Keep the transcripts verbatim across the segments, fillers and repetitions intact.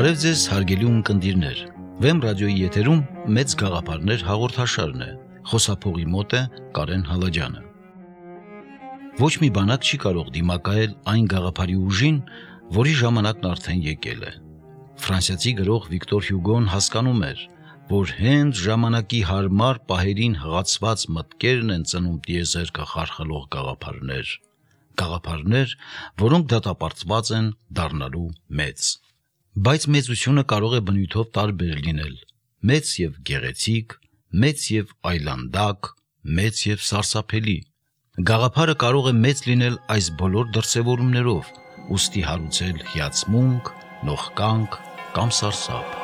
Բարև ձեզ հարգելի ունկնդիրներ, Վեմ ռադիոյի եթերում մեծ գաղափարներ հաղորդաշարն է, խոսափողի մոտ է Կարեն Հալաջյանը։ Ոչ մի բանակ չի կարող դիմակայել այն գաղափարի ուժին, որի ժամանակն արդեն եկել է։ Ֆրանսիացի գրող Վիկտոր Հյուգոն հասկանում էր, որ հենց ժամանակի հարմար պահերին հղացված մտքերն են ծնում տիեզերքը խարխլող գաղափարներ, գաղափարներ, որոնք դատապարտված են դառնալու մեծ։ Բայց մեծությունը կարող է բնույթով տարբեր լինել, մեծ եւ գեղեցիկ, մեծ եւ այլանդակ, մեծ եւ սարսափելի։ Գաղափարը կարող է մեծ լինել այս բոլոր դրսևորումներով, ուստի հարուցել հիացմունք, նողկանք կամ սարսափ։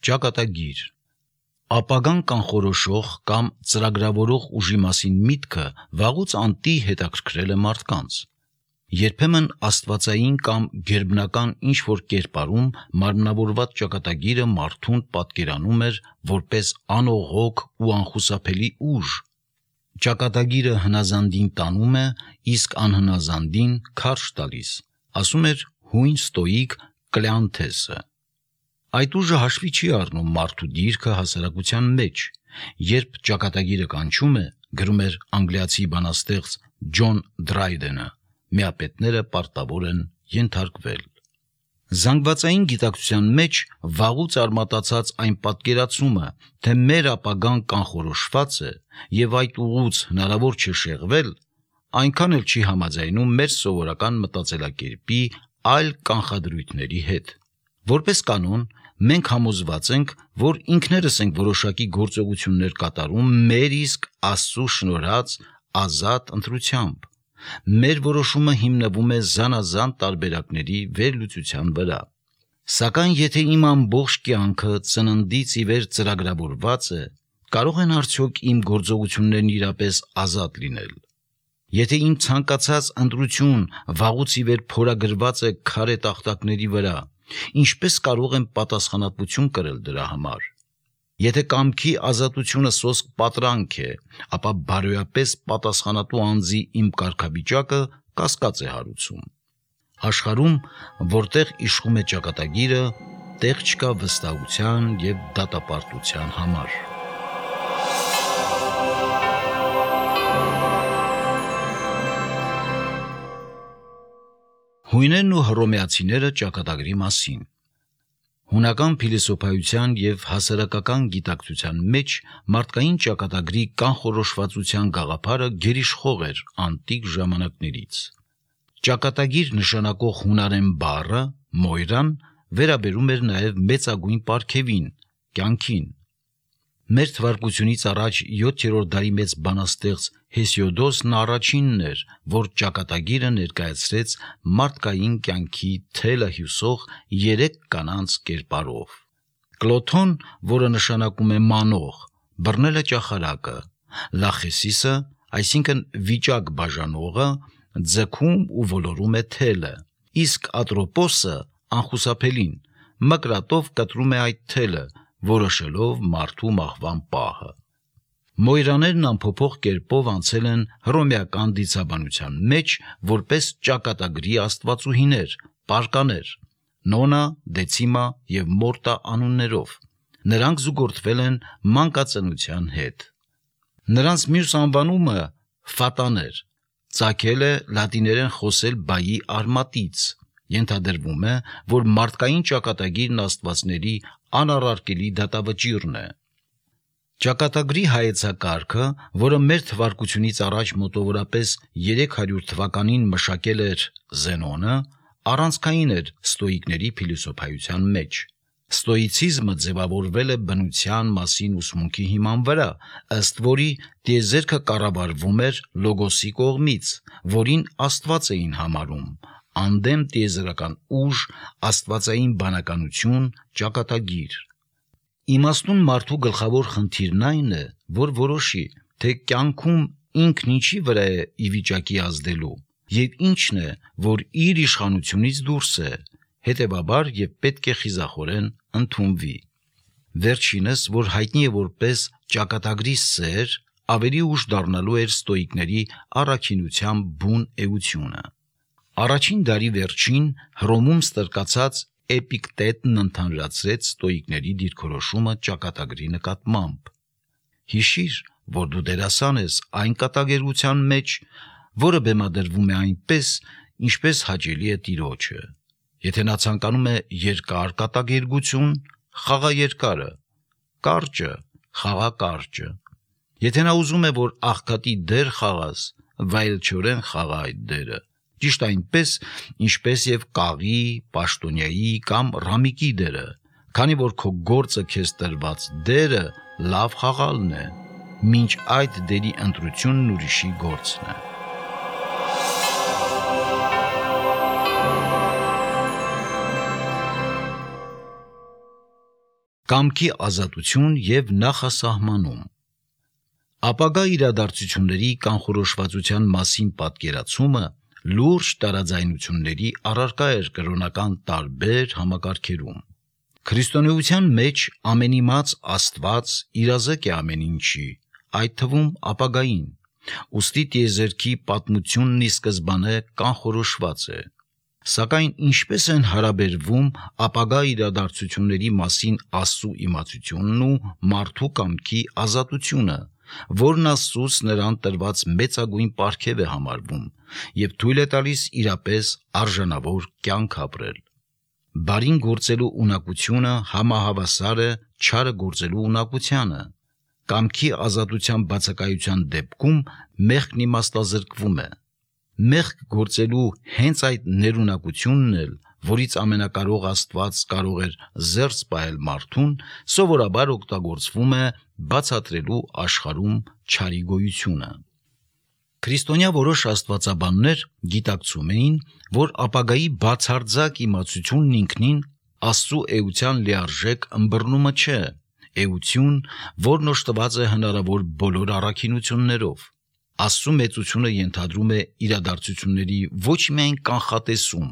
Ճակատագիր Ապագան կանխորոշող կամ ծրագրավորող ուժի մասին միտքը վաղուց անտի հետաքրքրել է մարդկանց։ Երբեմն աստվածային կամ գերբնական ինչ-որ կերպարում մարմնավորված ճակատագիրը մարդուն պատկերանում էր որպես անողոք ու անխուսափելի ուժ։ Ճակատագիրը հնազանդին տանում է, իսկ անհնազանդին քարշ տալիս, ասում էր հույն ստոիկ Կլեանթեսը։ Այդ ուժը հաշվի չի առնում մարդու դիրքը հասարակության մեջ, երբ ճակատագիրը կանչում է, գրում էր անգլիացի բանաստեղծ Ջոն Դրայդենը, միապետները պարտավոր են ենթարկվել։ Զանգվածային գիտակցության մեջ վաղուց արմատացած այն պատկերացումը, թե մեր ապագան կանխորոշված է եւ այդ ուղուց հնարավոր չէ շեղվել, այնքան էլ չի համաձայնում մեր սովորական մտածելակերպի այլ կանխադրույթների հետ։ Որպես կանոն, մենք համոզված ենք, որ ինքներս ենք որոշակի գործողություններ կատարում մեր իսկ Աստծո շնորհած ազատ ընտրությամբ։ Մեր որոշումը հիմնվում է զանազան տարբերակների վերլուծության վրա։ Սակայն եթե իմ ամբողջ կյանքը ծննդից ի վեր ծրագրավորված է, կարող են արդյոք իմ գործողություններն իրապես ազատ լինել։ Եթե իմ ցանկացած ընտրություն վաղուց ի վեր փորագրված է քարե տախտակների վրա, ինչպես կարող եմ պատասխանատվություն կրել դրա համար։ Եթե կամքի ազատությունը սոսկ պատրանք է, ապա բարոյապես պատասխանատու անձի իմ կարգավիճակը կասկած է հարուցում։ Աշխարհում, որտեղ իշխում է ճակատագիրը, տեղ չկա վստահության եւ դատապարտության համար։ Հույներն ու հռոմեացիները ճակատագրի մասին։ Հունական փիլիսոփայության եւ հասարակական գիտակցության մեջ մարդկային ճակատագրի կանխորոշվածության գաղափարը գերիշխող էր անտիկ ժամանակներից։ Ճակատագիր նշանակող հունարեն բառը մոյրան վերաբերում էր նաեւ մեծագույն պարգևին, կյանքին։ Մեր թվարկությունից առաջ յոթերորդ դարի մեծ բանաստեղծ Հեսիոդոսն առաջինն էր, որ ճակատագիրը ներկայացրեց մարդկային կյանքի թելը հյուսող երեք կանանց կերպարով։ Կլոթոն, որը նշանակում է մանող, բռնել է ճախարակը, Լախեսիսը, այսինքն վիճակ բաժանողը, ձգում ու ոլորում է թելը, իսկ Ատրոպոսը անխուսափելին մկրատով կտրում է այդ թելը, որոշելով մարդու մահվան պահը։ Մոյրաներն անփոփոխ կերպով անցել են հռոմեական դիցաբանության մեջ որպես ճակատագրի աստվածուհիներ, պարկաներ, Նոնա, Դեցիմա եւ Մորտա անուններով։ Նրանք զուգորդվել են մանկածնության հետ։ Նրանց մյուս անվանումը Ֆատաներ, ծագել է լատիներեն խոսել բայի արմատից։ Ենթադրվում է, որ մարդկային ճակատագիրն աստվածների անառարկելի դատավճիռն է։ Ճակատագրի հայեցակարգը, որը մեր թվարկությունից առաջ մոտավորապես երեք հարյուր թվականին մշակել էր Զենոնը, առանցքային էր ստոիկների փիլիսոփայության մեջ։ Ստոիցիզմը ձևավորվել է բնության մասին ուսմունքի հիման վրա, ըստ որի տիեզերքը կառավարվում էր լոգոսի կողմից, որին Աստված էին համարում, անդեմ տիեզերական ուժ, աստվածային բանականություն, ճակատագիր։ Իմաստուն մարդու գլխավոր խնդիրն այն է, որ որոշի, թե կյանքում ինքն ինչի վրա է ի վիճակի ազդելու եւ ինչն է, որ իր իշխանությունից դուրս է, հետեւաբար եւ պետք է խիզախորեն ընդունվի։ Վերջինս, որ հայտնի է որպես ճակատագրի սեր, ավելի ուշ դառնալու էր ստոիկների առաքինության բուն էությունը։ Առաջին դարի վերջին Հռոմում ստրկացած Էպիկտետն ընդհանրացրեց ստոիկների դիրքորոշումը ճակատագրի նկատմամբ։ Հիշիր, որ դու դերասան ես այն կատակերգության մեջ, որը բեմադրվում է այնպես, ինչպես հաճելի է Տիրոջը։ Եթե նա ցանկանում է երկար կատակերգություն, խաղա երկարը, կարճը, խաղա կարճը։ Եթե նա ուզում է, որ աղքատի դեր խաղաս, վայելչորեն խաղա այդ դերը։ Ճիշտ այնպես, ինչպես եւ կաղի, պաշտոնյայի կամ ռամիկի դերը, քանի որ քո գործը քեզ տրված դերը լավ խաղալն է, մինչ այդ դերի ընտրությունն ուրիշի գործն է։ Կամքի ազատություն եւ նախասահմանում։ Ապագա իրադարձությունների կանխորոշվածության մասին պատկերացումը լուրջ տարաձայնությունների առարկա էր կրոնական տարբեր համակարգերում։ Քրիստոնեության մեջ ամենիմաց Աստված իրազեկ է ամեն ինչի, այդ թվում ապագային, ուստի տիեզերքի պատմությունն ի սկզբանե կանխորոշված է։ Սակայն ինչպես են հարաբերվում ապագա իրադարձությունների մասին Աստծո իմացությունն ու մարդու կամքի ազատությունը, որն Աստծուց նրան տրված մեծագույն պարգև է համարվում եւ թույլ է տալիս իրապես արժանավոր կյանք ապրել։ Բարին գործելու ունակությունը համահավասար է չարը գործելու ունակությանը։ Կամքի ազատության բացակայության դեպքում մեղքն իմաստազրկվում է։ Մեղք գործելու հենց այդ ներունակությունն էլ, որից ամենակարող Աստված կարող էր զերծ պահել մարդուն, սովորաբար օգտագործվում է բացատրելու աշխարհում չարի գոյությունը։ Քրիստոնյա որոշ աստվածաբաններ գիտակցում էին, որ ապագայի բացարձակ իմացությունն ինքնին Աստծո էության լիարժեք ըմբռնումը չէ, էություն, որն օժտված է հնարավոր բոլոր առաքինություններով։ Աստծո մեծությունը ենթադրում է իրադարձությունների ոչ միայն կանխատեսում,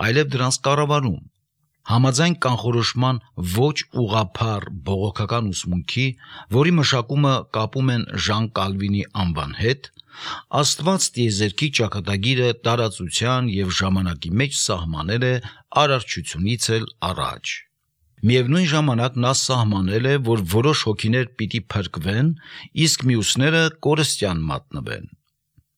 այլև դրանց կառավարում։ Համաձայն կանխորոշման ոչ ուղղափառ բողոքական ուսմունքի, որի մշակումը կապում են Ժան Կալվինի անվան հետ, Աստված տիեզերքի ճակատագիրը տարածության եւ ժամանակի մեջ սահմանել է արարչությունից էլ առաջ։ Միևնույն ժամանակ նա սահմանել է, որ որոշ հոգիներ պիտի փրկվեն, իսկ մյուսները կորստյան մատնվեն։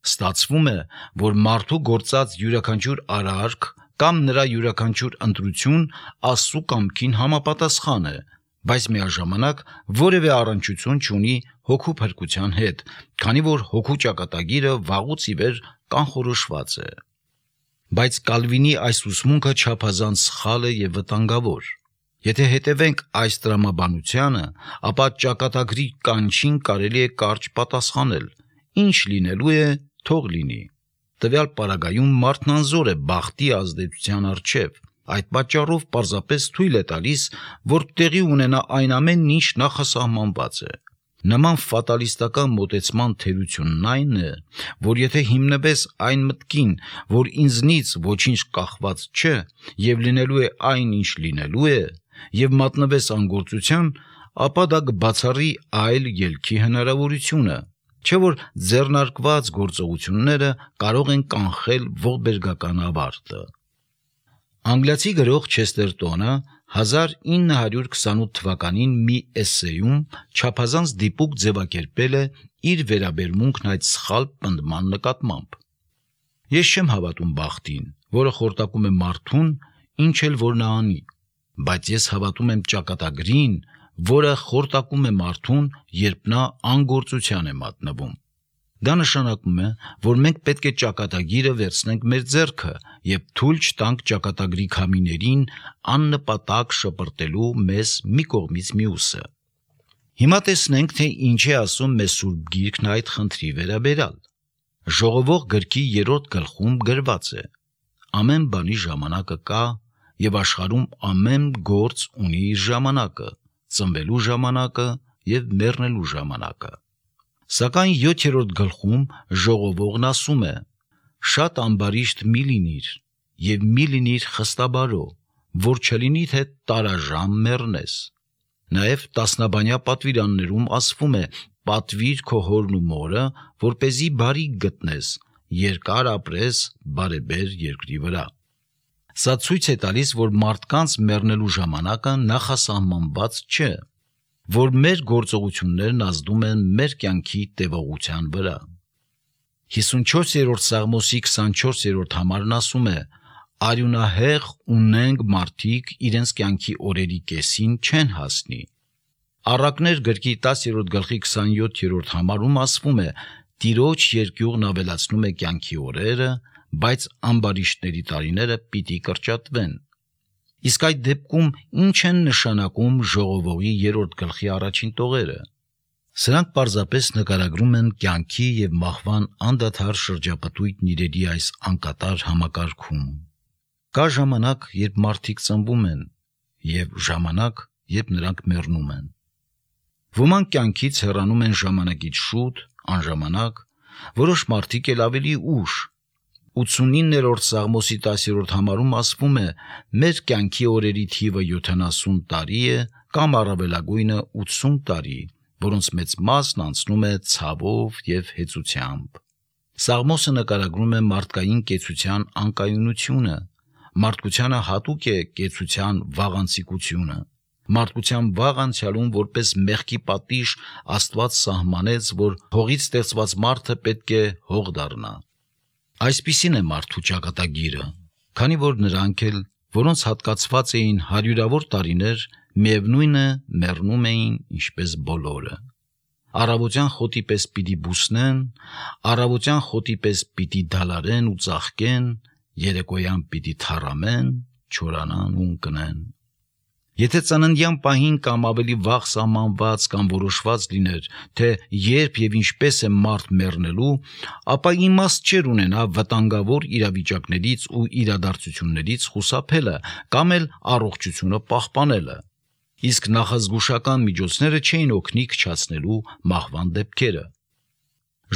Ստացվում է, որ մարդու գործած յուրաքանչյուր արարք կամ նրա յուրաքանչյուր ընտրություն Աստծո կամքին համապատասխան է, բայց միաժամանակ որևէ առնչություն չունի հոգու փրկության հետ, քանի որ հոգու ճակատագիրը վաղուց ի վեր կանխորոշված է։ Բայց Կալվինի այս ուսմունքը չափազանց սխալ է եւ վտանգավոր։ Եթե հետևենք այս տրամաբանությանը, ապա ճակատագրի կանչին կարելի է կարճ պատասխանել. ինչ լինելու է, թող լինի։ Տվյալ պարագայում մարդն անզոր է բախտի ազդեցության առջև, այդ պատճառով պարզապես թույլ է տալիս, որ տեղի ունենա այն ամենն, ինչ նախասահմանված է։ Նման ֆատալիստական մոտեցման թերությունն այն է, որ եթե հիմնվես այն մտքին, որ ինձնից ոչինչ կախված չէ եւ լինելու է այն, ինչ լինելու է, եւ մատնվես անգործության, ապա դա կբացառի այլ ելքի հնարավորությունը, չէ որ ձեռնարկված գործողությունները կարող են կանխել ողբերգական ավարտը։ Անգլիացի գրող Չեստերտոնը հազար ինը հարյուր քսանութ թվականին մի էսսեյում չափազանց դիպուկ ձևակերպել է իր վերաբերմունքն այդ սխալ պնդման նկատմամբ։ Ես չեմ հավատում բախտին, որը խորտակում է մարդուն, ինչ էլ որ նա անի, բայց ես հավատում եմ ճակատագրին, որը խորտակում է մարդուն, երբ նա անգործության է մատնվում։ Դա նշանակում է, որ մենք պետք է ճակատագիրը վերցնենք մեր ձեռքը եւ թույլ չտանք ճակատագրի քամիներին աննպատակ շպրտելու մեզ մի կողմից մյուսը։ Հիմա տեսնենք, թե ինչ է ասում մեզ Սուրբ Գիրքն այդ խնդրի վերաբերյալ։ Ժողովող գրքի երրորդ գլխում գրված է. ամեն բանի ժամանակը կա եւ աշխարհում ամեն գործ ունի իր ժամանակը, ծնվելու ժամանակը եւ մեռնելու ժամանակը։ Սակայն յոթերորդ գլխում ժողովողն ասում է. շատ ամբարիշտ մի լինիր եւ մի լինիր խստաբարո, որ չլինի թե տարաժամ մեռնես։ Նաեւ տասնաբանյա պատվիրաններում ասվում է. պատվիր քո հորն ու մորը, որպեսզի բարիք գտնես, երկար ապրես բարեբեր երկրի վրա։ Սա ցույց է տալիս, որ մարդկանց մեռնելու ժամանակը նախասահմանված չէ, որ մեր գործողություններն ազդում են մեր կյանքի տևողության վրա։ հիսունչորսերորդ Սաղմոսի քսանչորսերորդ համարն ասում է. «Արյունահեղ ունենք մարդիկ իրենց կյանքի օրերի կեսին չեն հասնի»։ Առակներ գրքի տասերորդ գլխի քսանյոթերորդ համարում ասվում է. «Տիրոջ երկյուղն ավելացնում է կյանքի օրերը, բայց ամբարիշտների տարիները պիտի կրճատվեն»։ Իսկ այդ դեպքում ինչ են նշանակում ժողովողի երրորդ գլխի առաջին տողերը։ Սրանք պարզապես նկարագրում են կյանքի և մահվան անդադար շրջապտույտն իրերի այս անկատար համակարգում։ Կա ժամանակ, երբ մարդիկ ծնվում են, և ժամանակ, երբ նրանք մեռնում են։ Ոմանք կյանքից հեռանում են ժամանակից շուտ, անժամանակ, որոշ մարդիկ էլ ավելի ուշ։ ութսունիններորդ Սաղմոսի տասերորդ համարում ասվում է. «Մեր կյանքի օրերի թիվը յոթանասուն տարի է, կամ առավելագույնը ութսուն տարի, որոնց մեծ մասն անցնում է ցավով և հեծությամբ»։ Սաղմոսը նկարագրում է մարդկային կեցության անկայունությունը։ Մարդկությանը հատուկ է կեցության վաղանցիկությունը։ Մարդկության վաղ անցյալում որպես մեղքի պատիժ Աստված սահմանեց, որ հողից ստեղծված մարդը պետք է հող դառնա։ Այսպիսին է մարդու ճակատագիրը, քանի որ նրանք էլ, որոնց հատկացված էին հարյուրավոր տարիներ, միևնույն է մեռնում էին ինչպես բոլորը։ Առավոտյան խոտի պես պիտի բուսնեն, առավոտյան խոտի պես պիտի դալարեն ու ծաղկեն, երեկոյան պիտի թառամեն, չորանան ու ընկնեն։ Եթե ծննդյան պահին կամ ավելի վաղ սահմանված կամ որոշված լիներ, թե երբ և ինչպես է մարդ մեռնելու, ապա իմաստ չէր ունենա վտանգավոր իրավիճակներից ու իրադարձություններից խուսափելը կամ էլ առողջությունը պահպանելը։ Իսկ նախազգուշական միջոցները չէին օգնի քչացնելու մահվան դեպքերը։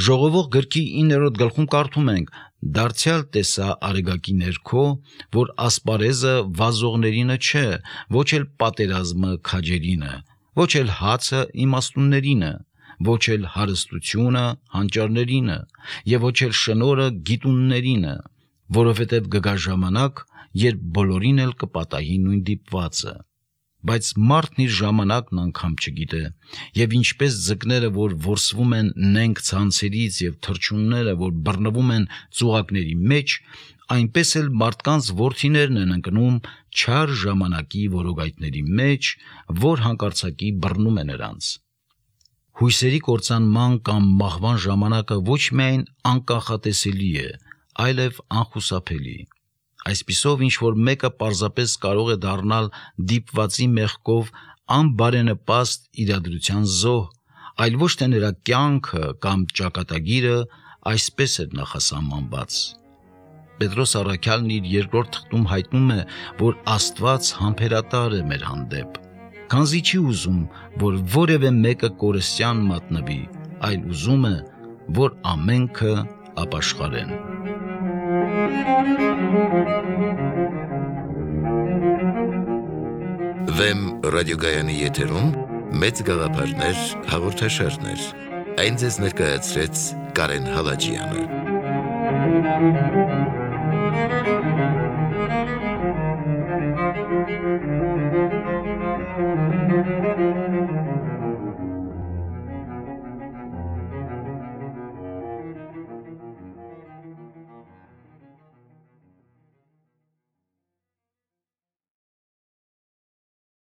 Ժողովող գրքի իններորդ գլխում կարդում ենք. «Դարձյալ տեսա արեգակի ներքո, որ ասպարեզը վազողներինը չէ, ոչ էլ պատերազմը քաջերինը, ոչ էլ հացը իմաստուններինը, ոչ էլ հարստությունը հանճարներինը, և ոչ էլ շնորհը գիտուններինը, որովհետև կգա ժամանակ, երբ բոլորին էլ կպատահի նույն դիպվածը։ Բայց մարդն իր ժամանակն անգամ չգիտե, և ինչպես ձկները, որ որսվում են նենգ ցանցերից, և թռչունները, որ բռնվում են ծուղակների մեջ, այնպես էլ մարդկանց որդիներն են ընկնում չար ժամանակի որոգայթների մեջ, որ հանկարծակի բռնում է նրանց»։ Հույսերի կործանման կամ մահվան ժամանակը ոչ միայն անկանխատեսելի է, այլև անխուսափելի։ Այսպիսով, ինչ-որ մեկը պարզապես կարող է դառնալ դիպվածի մեղքով անբարենպաստ իրադրության զոհ, այլ ոչ թե նրա կյանքը կամ ճակատագիրը այսպես էր նախասահմանված։ Պետրոս առաքյալն իր երկրորդ թղթում հայտնում է, որ Աստված համբերատար է մեր հանդեպ, քանզի չի ուզում, որ որևէ մեկը կորստյան մատնվի, այլ ուզում է, որ ամենքը ապաշխարեն։ Վեմ ռադիոգայանի եթերում մեծ գաղափարներ հաղորդաշարներ։ Այն ձեզ ներկայացրեց Կարեն Հալաջյանը։